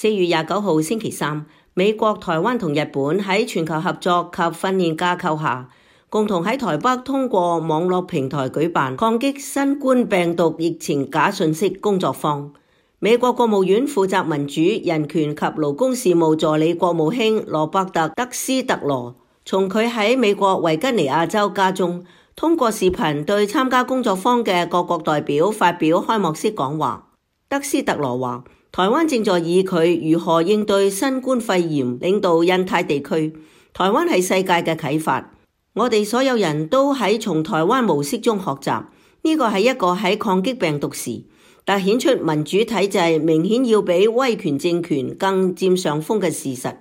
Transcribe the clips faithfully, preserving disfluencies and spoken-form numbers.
四月廿九號星期三，美國、台灣同日本喺全球合作及訓練架構下，共同喺台北通過網絡平台舉辦抗擊新冠病毒疫情假訊息工作坊。美國國務院負責民主、人權及勞工事務助理國務卿羅伯特·德斯特羅，從佢喺美國維吉尼亞州家中，通過視頻對參加工作坊嘅各國代表發表開幕式講話。德斯特羅話：台灣正在以佢如何應對新冠肺炎領導印太地區，台灣係世界嘅啟發。我哋所有人都喺從台灣模式中學習，呢個係一個喺抗擊病毒時，凸顯出民主體制明顯要比威權政權更佔上風嘅事實。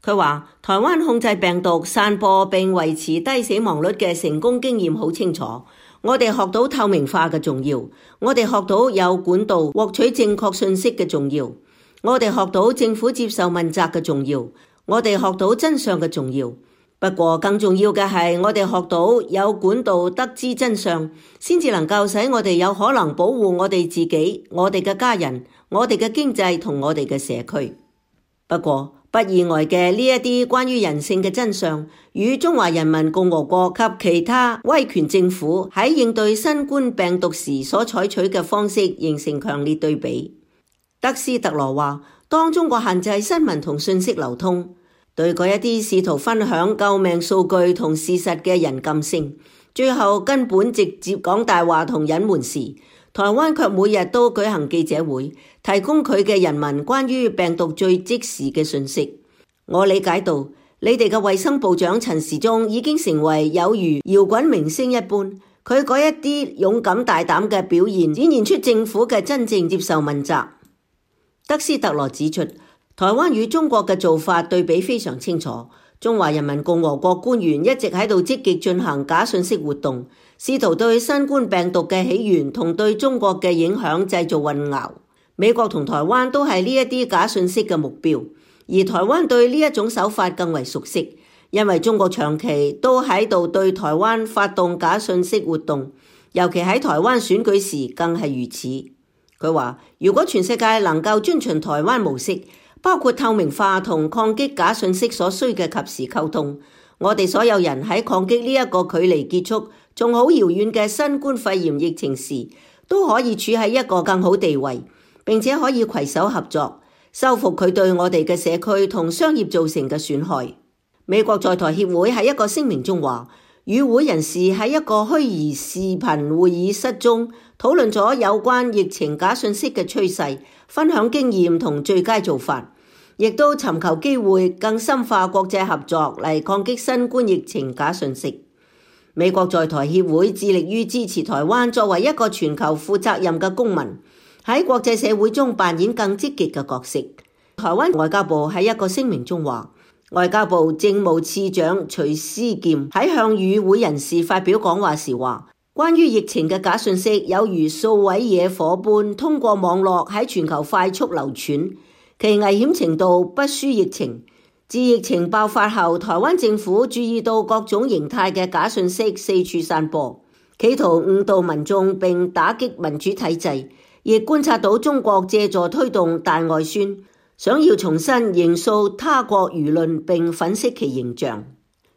佢話：台灣控制病毒散播並維持低死亡率嘅成功經驗好清楚。我哋學到透明化嘅重要，我哋學到有管道獲取正確信息嘅重要，我哋學到政府接受問責嘅重要，我哋學到真相嘅重要。不過更重要嘅係，我哋學到有管道得知真相，先至能夠使我哋有可能保護我哋自己、我哋嘅家人、我哋嘅經濟同我哋嘅社區。不過，不意外嘅呢一啲關於人性嘅真相，與中華人民共和國及其他威權政府喺應對新冠病毒時所採取嘅方式形成強烈對比。德斯特羅話：當中國限制新聞同信息流通，對嗰一啲試圖分享救命數據同事實嘅人禁聲，最後根本直接講大話同隱瞞時，台灣卻每日都舉行記者會，提供佢嘅人民關於病毒最即時嘅信息。我理解到，你哋嘅衛生部長陳時中已經成為有如搖滾明星一般，佢嗰一啲勇敢大膽嘅表現，展現出政府嘅真正接受問責。德斯特羅指出，台灣與中國嘅做法對比非常清楚。中華人民共和國官員一直喺度積極進行假信息活動，試圖對新冠病毒嘅起源同對中國嘅影響製造混淆。美國同台灣都係呢一啲假信息嘅目標，而台灣對呢一種手法更為熟悉，因為中國長期都喺度對台灣發動假信息活動，尤其喺台灣選舉時更係如此。佢話：如果全世界能夠遵循台灣模式，包括透明化同抗擊假信息所需嘅及時溝通，我哋所有人喺抗擊呢一個距離結束仲好遙遠嘅新冠肺炎疫情時，都可以處喺一個更好地位，並且可以攜手合作，修復佢對我哋嘅社區同商業造成嘅損害。美國在台協會喺一個聲明中話，與會人士喺一個虛擬視頻會議室中討論咗有關疫情假信息嘅趨勢，分享經驗同最佳做法，亦都尋求機會更深化國際合作嚟抗擊新冠疫情假信息。美國在台協會致力於支持台灣作為一個全球負責任嘅公民，喺國際社會中扮演更積極嘅角色。台灣外交部喺一個聲明中話，外交部政務次長徐思儉喺向與會人士發表講話時話，關於疫情嘅假信息有如數位野火般通過網絡喺全球快速流傳，其危險程度不輸疫情。自疫情爆發後，台灣政府注意到各種形態嘅假信息四處散播，企圖誤導民眾並打擊民主體制，亦觀察到中國借助推動大外宣，想要重新形塑他國輿論並粉飾其形象。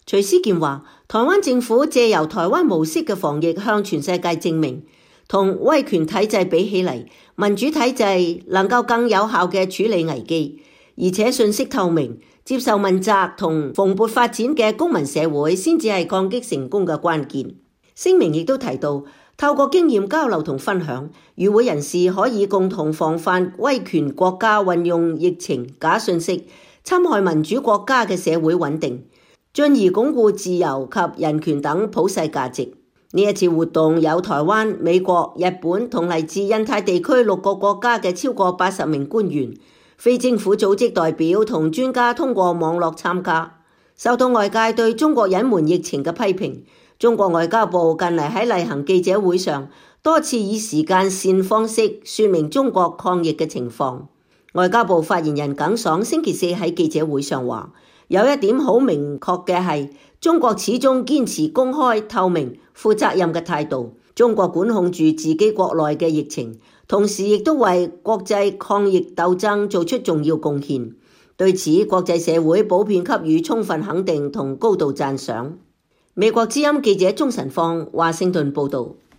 徐思儉話，台灣政府借由台灣模式嘅防疫向全世界證明，同威權體制比起嚟，民主體制能夠更有效嘅處理危機，而且信息透明、接受問責同蓬勃發展嘅公民社會先至係抗擊成功嘅關鍵。聲明亦都提到，透過經驗交流同分享，與會人士可以共同防範威權國家運用疫情、假信息，侵害民主國家嘅社會穩定，進而鞏固自由及人權等普世價值。呢一次活動有台灣、美國、日本同嚟自印太地區六個國家嘅超過八十名官員、非政府組織代表同專家通過網絡參加。受到外界對中國隱瞞疫情嘅批評，中國外交部近嚟喺例行記者會上多次以時間線方式說明中國抗疫嘅情況。外交部發言人耿爽星期四喺記者會上話，有一點好明確嘅係，中國始終堅持公開、透明、負責任嘅態度。中國管控住自己國內嘅疫情，同時亦都為國際抗疫鬥爭做出重要貢獻。對此，國際社會普遍給予充分肯定同高度讚賞。美國之音記者鍾晨放華盛頓報道。